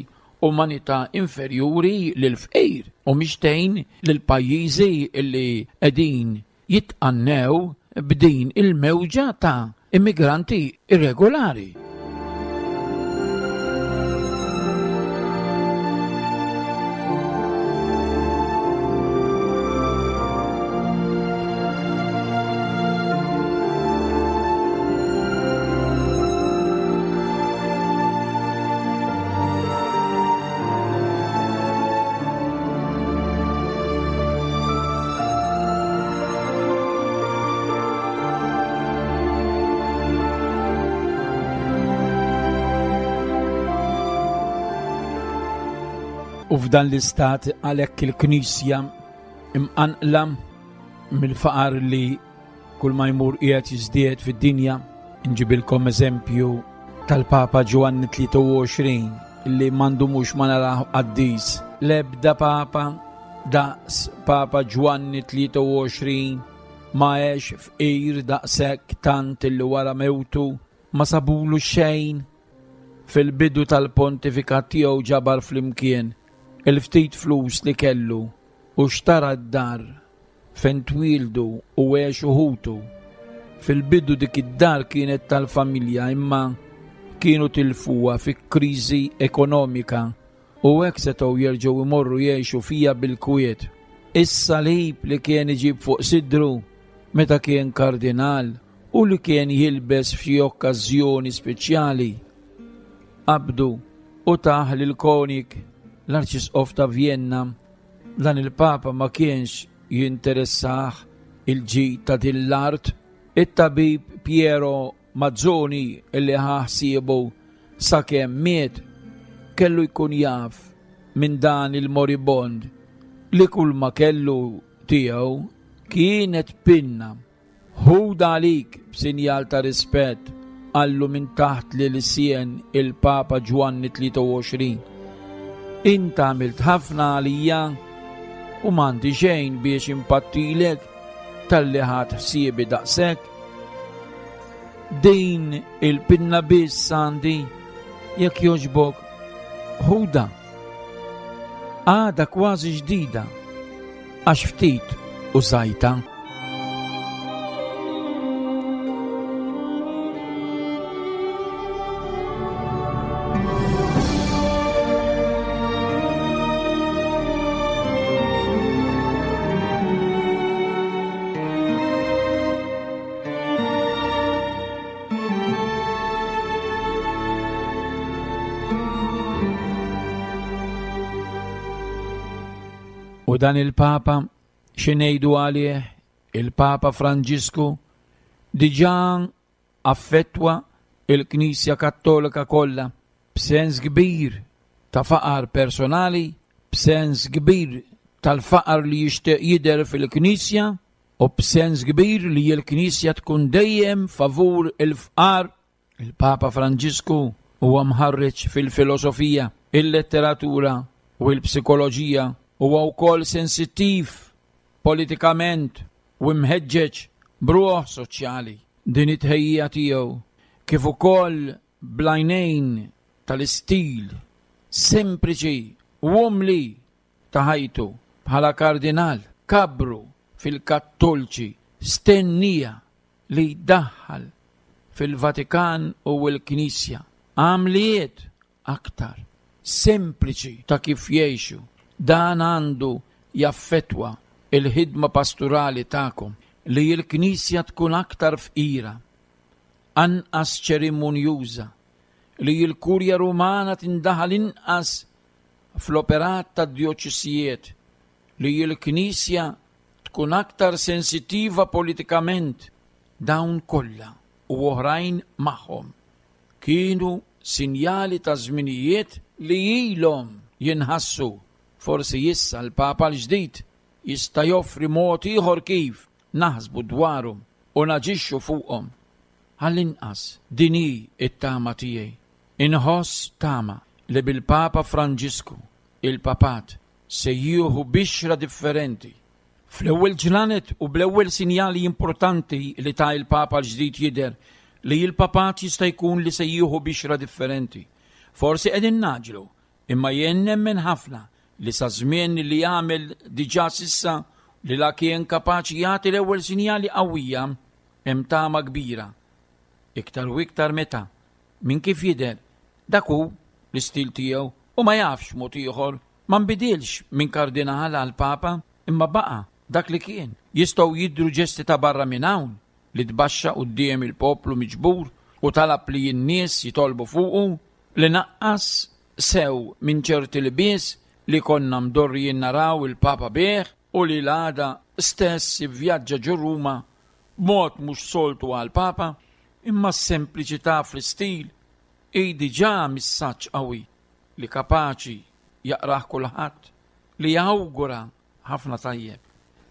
umanità inferjuri lill-fqir u mhix tgħin lill-pajjiżi illi qegħdin jitqannew b'din il-mewġa ta' immigranti irregolari. U f'dan l-istat għalhekk il-Knisja imqanqla mill-faqar li kull ma jmur qiegħed jiżdied fid-dinja. Nġibilkom eżempju tal-Papa Ġwanni tlieta u għoxrin li m'għandu mhux ma narah qaddis. L-ebda Papa daqs Papa Ġwanni tlieta u għoxrin ma għex fqir daqshekk tant illi wara mewtu ma sabulu xejn. Fil-bidu tal-pontifikat tiegħu ġabar flimkien il-ftit flus li kellu u xtara d-dar fejn twildu u għexu ħutu. Fil-bidu dik id-dar kienet tal-familja, imma kienu tilfuha fi kriżi ekonomika u hekk setgħu jerġgħu jmorru jgħixu fija bil-kwiet. Is-salib li kien iġib fuq sidru meta kien kardinal u li kien jilbes f'xi okkażjoni speċjali. Qabdu u tah lil Koenig, l-Arċisqof ta' Vienna. Dan il-Papa ma kienx jinteressah il-ġid ta' din l-art. It-tabib Piero Mazzoni li ħa ħsiebu sakemm miet kellu jkun jaf minn dan il-moribond li kull ma kellu tiegħu kienet pinna. Ħudha għalik b'sinjal ta' rispett, qallu minn taħt li l-sien il-Papa Ġwanni tlieta u għoxrin. Int għamilt ħafna għalija u m'għandi xejn biex impattilek talli ħadt ħsiebi daqshekk. Din il-pinna biss għandi, jekk jogħġbok, ħudha. Għadha kważi ġdida, għax ftit użajta. U dan il-Papa, xi ngħidu għalih, il-Papa Franġisku, diġà affettwa il-Knisja Kattolika kollha b'sens kbir ta' faqar personali, b'sens kbir tal-faqar li jixtieq jidher fil-Knisja u b'sens kbir li l-Knisja tkun dejjem favur il-fqar. Il-Papa Franġisku huwa mħarreġ fil-filosofija, il-letteratura u l-psikoloġija. Huwa wkoll sensittiv politikament u mħeġġeġ b'ruħ soċjali. Din it-tħejjija tiegħu kif ukoll bl-għajnejn tal-istil sempliċi u umli ta' ħajtu bħala kardinal kabru fil-Kattoliċi stennija li jdaħħal fil-Vatikan u l-Knisja għamliet aktar sempliċi ta' kif jgħixu. Dan għandu jaffettwa il-ħidma pastorali tagħkom li l-Knisja tkun aktar fqira, anqas ċerimonjuża, li l-Kurja Rumana tindaħal inqas fl-operat tad-djoċesijiet, li l-Knisja tkun aktar sensittiva politikament. Dawn kollha u oħrajn magħhom kienu sinjali ta' żminijiet li ilhom jinħassu. Forsi issa l-Papa l-ġdid jista' joffri mod ieħor kif naħsbu dwarhom u naġixxu fuqhom. Għall-inqas din hi t-tama tiegħi. Inħoss tama li bil-Papa Franġisku il-Papat se jieħu bixra differenti. Fl-ewwel ġranet u bl-ewwel sinjali importanti li ta' il-Papa l-ġdid jidher li l-Papat jista' jkun li se jieħu bixra differenti. Forsi qegħdin naġlu, imma jien nemmen ħafna li sa żmien li jagħmel diġà sissa li la kien kapaċi jagħti l-ewwel sinjali qawwija hemm tama kbira. Iktar u iktar meta minn kif jidher dak hu l-istil tiegħu u ma jafx mod ieħor, ma nbidilx minn kardinal għal Papa, imma baqa' dak li kien. Jistgħu jidhru ġesti ta' barra minn hawn li tbaxxa quddiem il-poplu miġbur u talab li n-nies jitolbu fuqu, li naqqas sew minn ċerti lbies li konna mdorrijin naraw il-Papa bih u li l-għada stess ivvjaġġa ġo Ruma b'mod mhux soltu għall-Papa, imma s-sempliċità fl-istil hi diġà messaġġ qawwi li kapaċi jaqrah kulħadd, li jawgura ħafna tajjeb.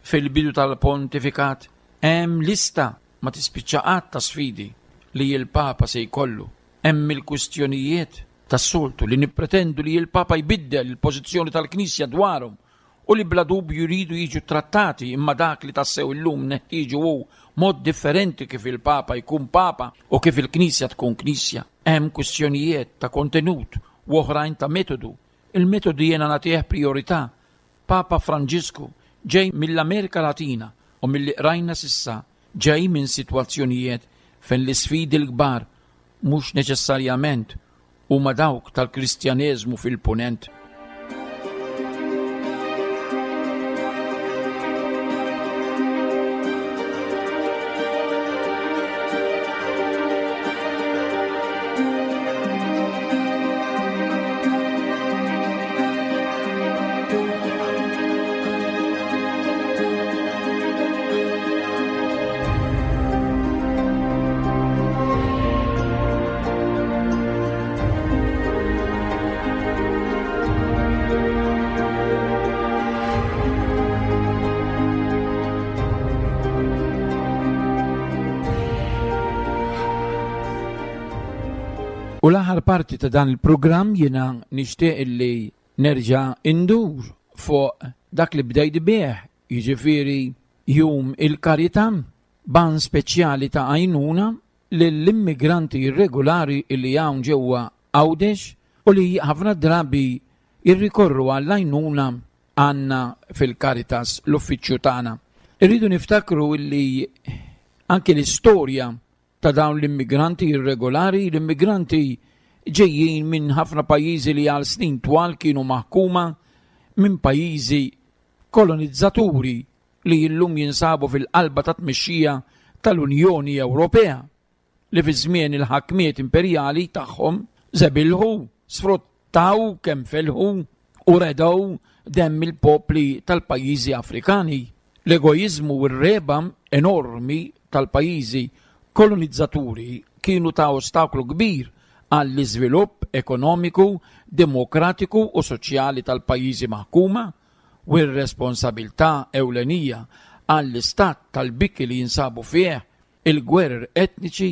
Fil-bidu tal-pontifikat hemm lista ma tispiċċa qatt ta' sfidi li l-Papa se jkollu. Hemm il-kwistjonijiet tas-soltu li nippretendu li l-Papa jbiddel il-pożizzjoni tal-Knisja dwarhom u li bla dubju jridu jiġu trattati, imma dak li tassew illum neħtieġu hu mod differenti kif il-Papa jkun Papa u kif il-Knisja tkun Knisja. Hemm kwistjonijiet ta' kontenut u oħrajn ta' metodu. Il-metodu jiena nagħtih priorità. Papa Franġisku ġej mill-Amerika Latina u milli qrajna sissa ġej minn sitwazzjonijiet fejn l-isfidi l-kbar mhux neċessarjament huma dawk tal-Kristjaneżmu fil-Punent. U l-aħħar parti ta' dan il-programm jiena nixtieq illi nerġa' indur fuq dak li bdejt bih, jiġifieri Jum il-Karità, ban speċjali ta' għajnuna lill-immigranti irregolari illi hawn ġewwa Għawdex u li ħafna drabi jirrikorru għall-għajnuna għandna fil-Caritas l-uffiċċju tagħna. Irridu niftakru illi anke l-istorja ta' dawn l-immigranti irregolari, l-immigranti ġejjin minn ħafna pajjiżi li għal snin twal kienu maħkuma minn pajjiżi kolonizzaturi li llum jinsabu fil-qalba ta' tmexxija tal-Unjoni Ewropea li fi żmien il-ħakmiet imperjali tagħhom żebilħu, sfruttaw kemm felħu u redew demm il-popli tal-pajjiżi Afrikani. L-egoiżmu u r-reba enormi tal-pajjiżi kolonizzaturi kienu ta' ostaklu kbir għall-iżvilupp ekonomiku, demokratiku u soċjali tal-pajjiżi maħkuma u r-responsabilità ewlenija għall-istat tal-biki li jinsabu fih il-gwerer etniċi,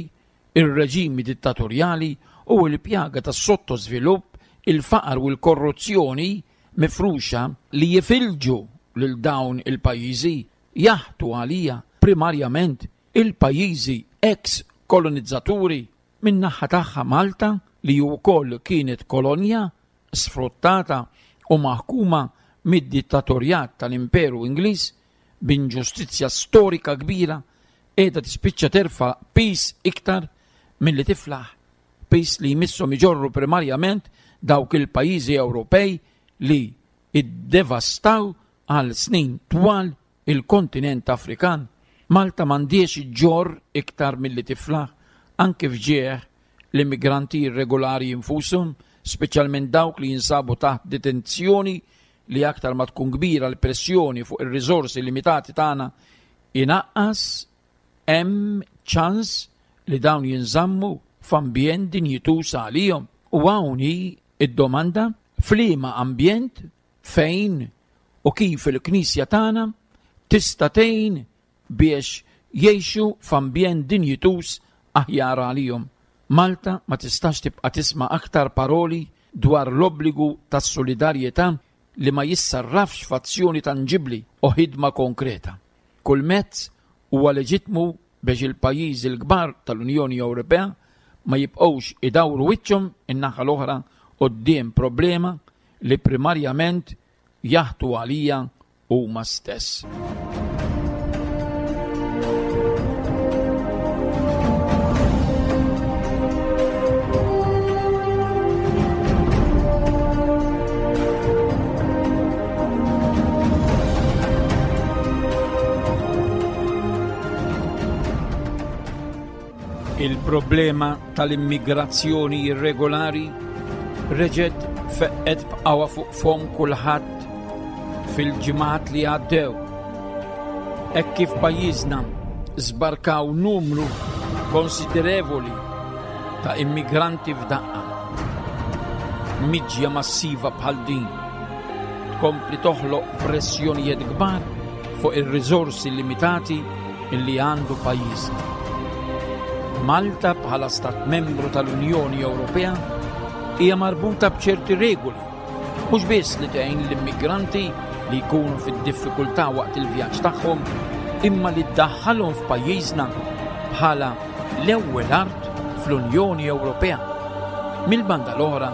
ir-reġimi dittatorjali u l-pjaga tas-sottosvilupp, il-faqar u l-korruzzjoni mifruxa li jifilġu lil dawn il-pajjiżi jaħtu għalija primarjament il-pajjiżi ex-kolonizzaturi. Min-naħa tagħha Malta, li wkoll kienet kolonja sfruttata u maħkuma mid-dittatorjat tal-Imperu Ingliż b'inġustizzja storika kbira, qiegħda tispiċċa terfa' pis iktar milli tiflaħ, pis li jmisshom iġorru primarjament dawk il-pajjiżi Ewropej li iddevastaw għal snin twal il-kontinent Afrikan. Malta m'għandhiex iġġorr iktar milli tiflaħ, anke f'ġieħ l-immigranti irregolari infushom, speċjalment dawk li jinsabu taħt detenzjoni li aktar ma tkun kbira l-pressjoni fuq ir-riżorsi limitati tagħna inaqqas hemm ċans li dawn jinżammu f'ambjent dinjituż għalihom. U hawn hi id-domanda f'liema ambjent, fejn u kif il-Knisja tagħna tista' tgħin biex jgħixu f'ambjent dinjituż aħjar għalihom. Malta ma tistax tibqa' tisma' aktar paroli dwar l-obbligu tas-solidarjetà li ma jissarrafx f'azzjoni tanġibli u ħidma konkreta. Kull mezz huwa leġitmu biex il-pajjiżi l-kbar tal-Unjoni Ewropea ma jibqgħux idawru wiċċhom in-naħa l-oħra quddiem problema li primarjament jaħtu għalija huma stess. Il-problema tal-immigrazzjoni irregolari reġgħet feqqet b'qawwa fuq fom kulħadd fil-ġimgħat li għaddew. Hekk kif pajjiżna żbarkaw numru konsiderevoli ta' immigranti f'daqqa. Miġja massiva bħal din tkompli toħloq pressjonijiet kbar fuq ir-riżorsi limitati li għandu pajjiżna. Malta bħala stat membru tal-Unjoni Ewropea hija marbuta b'ċerti regoli, mhux biss li tgħin l-immigranti li jkunu fid-diffikultà waqt il-vjaġġ tagħhom, imma li ddaħħalhom f'pajjiżna bħala l-ewwel art fl-Unjoni Ewropea. Mill-banda l-oħra,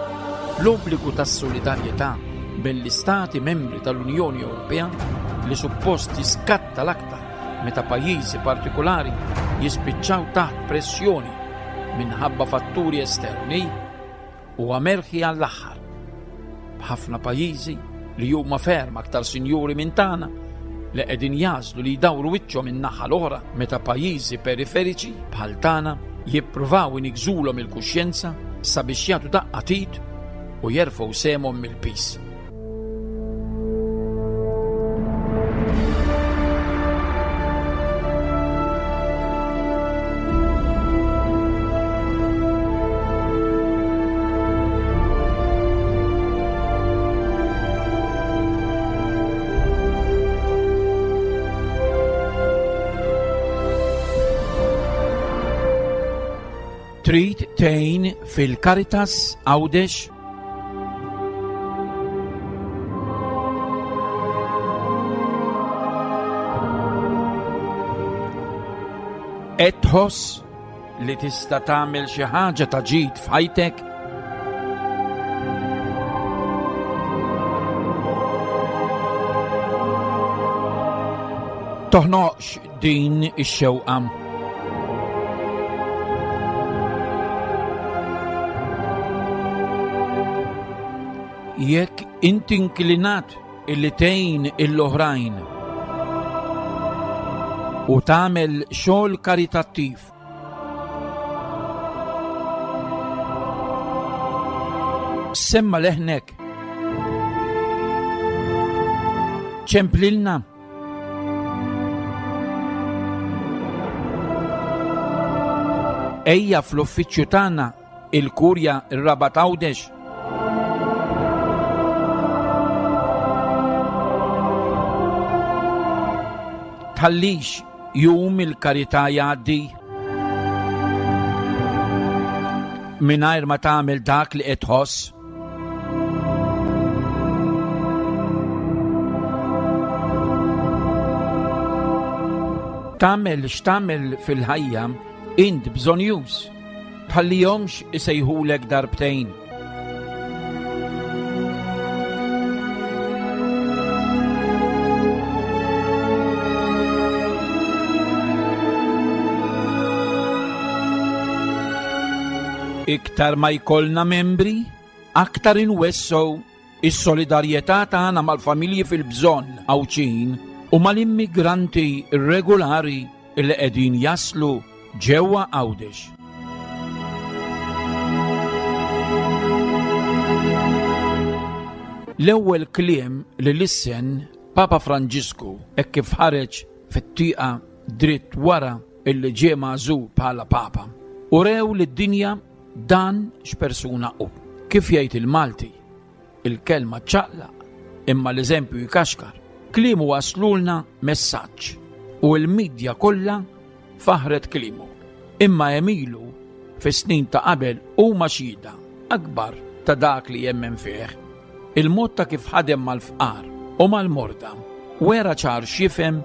l-obbligu tas-solidarjetà bejn l-istati membri tal-Unjoni Ewropea li suppost jiskatta l-aktar meta pajjiżi partikolari jispiċċaw taħt pressjoni minħabba fatturi esterni huwa merħi għall-aħħar. B'ħafna pajjiżi li huma ferm aktar sinjuri minn tagħna li qegħdin jażlu li jdawru wiċċhom in-naħa l-oħra meta pajjiżi periferiċi bħal tagħna jippruvaw inigżulhom il-kuxjenza sabiex jagħtu daqqa tit u jerfgħu sehemhom mill-pis. Trid tgħin fil-Caritas Għawdex? Qed tħoss li tista' tagħmel xi ħaġa ta' ġid f'ħajtek? Toħnoqx din ix-xewqa. Jekk inti inklinat illi tgħin l-oħrajn u tagħmel xogħol karitattiv, semma leħnek, ċemplilna. Ejja fl-uffiċċju tagħna il-Kurja ir-Rabat Għawdex. Tħallix jum il-karità jgħaddi mingħajr ma tagħmel dak li qed tħoss. Tagħmel x'tagħmel fil-ħajja int bżonjuż, tħallihomx isejħulek darbtejn. Iktar ma jkollna membri, aktar inwessew is-solidarjetà tagħna mal-familji fil-bżonn Għawdxin u mal-immigranti irregolari li qegħdin jaslu ġewwa Għawdex. L-ewwel kliem li lissen Papa Franġisku hekk kif ħareġ fit-tieqa dritt wara illi ġie magħżul bħala Papa, urew lid-dinja dan x'persuna hu. Kif jgħid il-Malti, il-kelma ċaqlaq imma l-eżempju jkaxkar. Kliemu waslulna messaġġ u l-midja kollha faħret kliemu. Imma emilu fis-snin ta' qabel huma xhieda akbar ta' dak li jemmen fih. Il-mod ta' kif ħadem mal-fqar u mal-morda wera ċar x'jifhem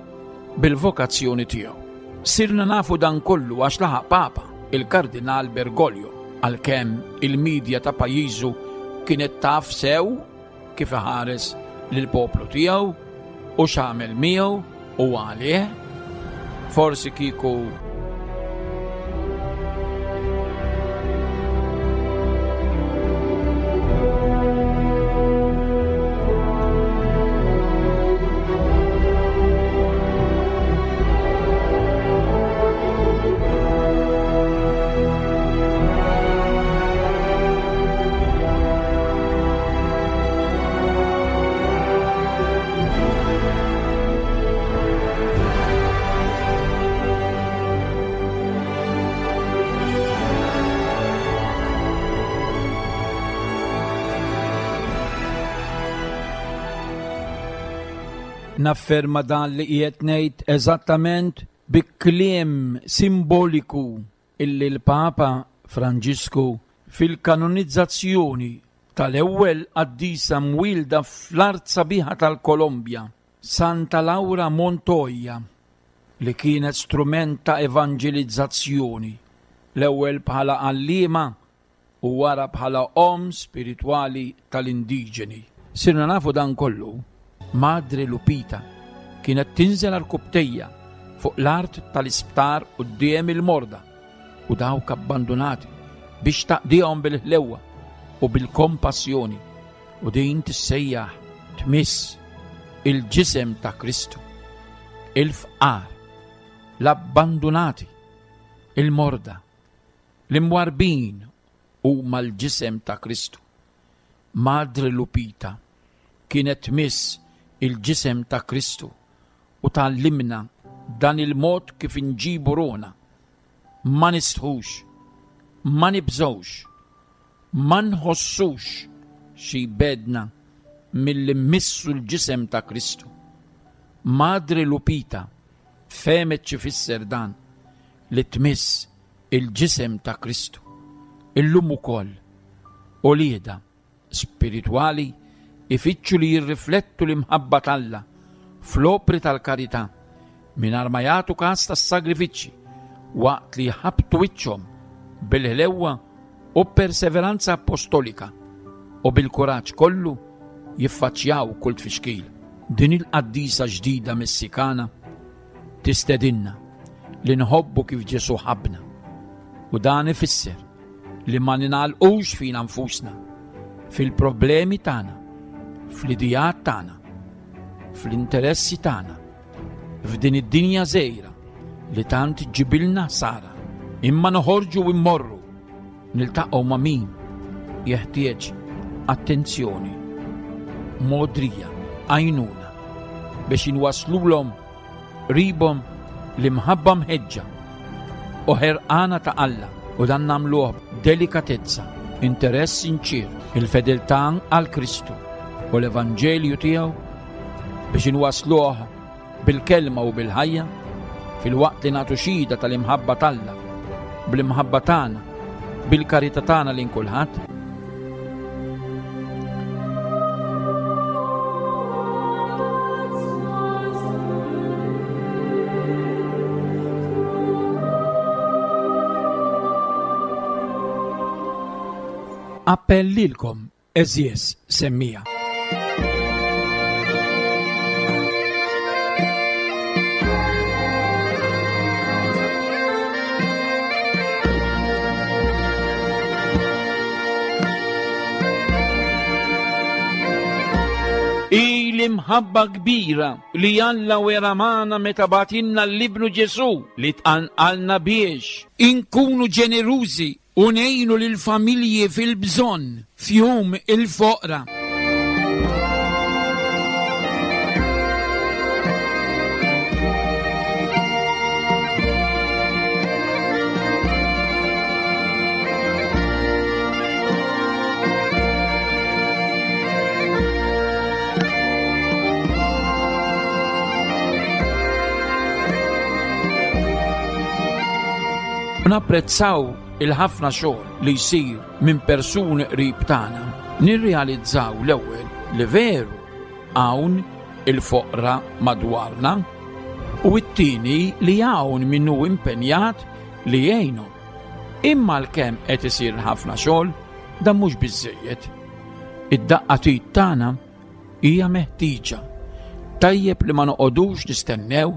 bil-vokazzjoni tiegħu. Sirna nafu dan kollu għax laħaq Papa, il-Kardinal Bergoglio, għalkemm il-midja ta' pajjiżu kienet taf sew kif iħares lill-poplu tiegħu u x'għamel miegħu u għalih. Forsi kieku nafferma dan li qiegħed ngħid eżattament bi kliem simboliku illi l-Papa Franġisku fil-kanonizzazzjoni tal-ewwel qaddisa mwielda fl-art sabiħa tal-Kolombja, Santa Laura Montoya, li kienet strument ta' evanġelizzazzjoni, l-ewwel bħala għalliema u wara bħala omm spiritwali tal-indiġeni. Sirna nafu dan kollu. Madre Lupita kienet tinżel għal-kubtejja fuq l-art tal-isptar quddiem il-morda u dawk abbandunati biex taqdihom bil-ħlewwa u bil-kompassjoni, u din tissejjaħ tmiss il-ġisem ta' Kristu, il-fqar, l-abbandunati, il-morda, l-imwarbin huma l-ġisem ta' Kristu. Madre Lupita kienet tmiss il-ġisem ta' Kristu u tgħallimna dan il-mod kif inġibu ruħna. Ma nistħux, ma nibżgħux, ma nħossux xi bedna milli mmissu l-ġisem ta' Kristu. Madre Lupita fehmet x'ifisser dan li tmiss il-ġisem ta' Kristu. Illum ukoll uliedha spiritwali ifittxu li jirriflettu l-imħabba t'Alla fl-opri tal-karità mingħajr ma jagħtu każ tas-sagrifiċċji waqt li jħabbtu wiċċhom bil-ħlewwa u perseveranza apostolika u bil-kuraġġ kollu jiffaċċjaw kull tfixkil. Din il-qaddisa ġdida Messikana tistedinna li nħobbu kif Ġesù ħabbna, u dan ifisser li ma ningħalqux fina nfusna, fil-problemi tagħna, fl-idijat tagħna, fl-interessi tagħna, f'din id-dinja żgħira li tant ġibilna ħsara, imma noħorġu u mmorru niltaqgħu ma' min jeħtieġ attenzjoni, modrija, għajnuna biex inwaslulhom qribhom l-imħabba mħeġġa u ħerqana ta' Alla, u dan nagħmluh b'delikatezza, interess sinċir, il-fedeltà għal Kristu u l-Evanġelju tiegħu biex inwasluh bil-kelma u bil-ħajja, fil-waqt li nagħtu xhieda tal-imħabba t'Alla, bl-imħabba tagħna, bil-karità tagħna lejn kulħadd. Appell lilkom, għeżież semmija. I l-imħabba kbira li Alla wera magħna meta bagħtilna l-Ibnu Ġesù li tqanqalna biex inkunu ġenerużi u ngħinu lill-familji fil-bżonn f'jum il-foqra. Napprezzaw il-ħafna xogħol li jsir minn persuni qrib tagħna. Nirrealizzaw l-ewwel li veru hawn il-foqra madwarna, u t-tieni li hawn min hu impenjat li jgħinhom. Imma għalkemm qed isir ħafna xogħol, dan mhux biżżejjed. Id-daqqa t'id tagħna hija meħtieġa. Tajjeb li ma noqogħdux nistennew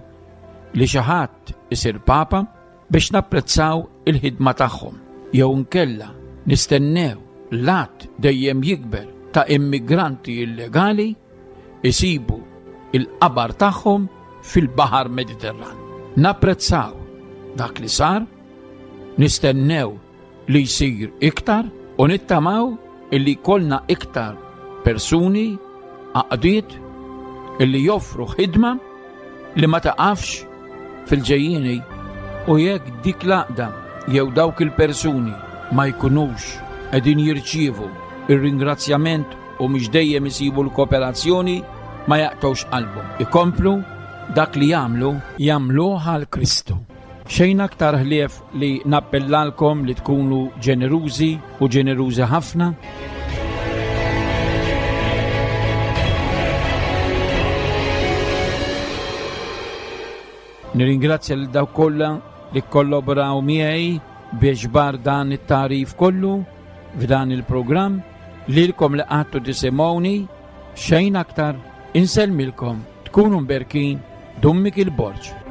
li xi ħadd isir papa biex napprezzaw il-ħidma tagħhom, jew nkella nistennew l-att dejjem jikber ta' immigranti illegali isibu il-qabar tagħhom fil-Baħar Mediterran. Napprezzaw dak li sar, nistennew li jsir iktar u nittamaw illi jkollna iktar persuni, għaqdiet illi joffru ħidma li ma taqafx fil-ġejjieni, u jekk dik l-għaqda jew dawk il-persuni ma jkunux qegħdin jirċievu ir-ringrazzjament u mhux dejjem isibu l-kooperazzjoni, ma jaqtgħux qalbhom. Ikomplu dak li jagħmlu, jagħmluh għal Kristu. Xejn aktar ħlief li nappellalkom li tkunu ġenerużi u ġenerużi ħafna. Nirringrazzja lil dawk kollha li kollaboraw miegħi biex bar dan it-tagħrif kollu f'dan il-programm. Lilkom li qgħadtu tisimgħuni, xejn aktar, insellmilkom, tkunu mberkin, Dun Mikiel Borg.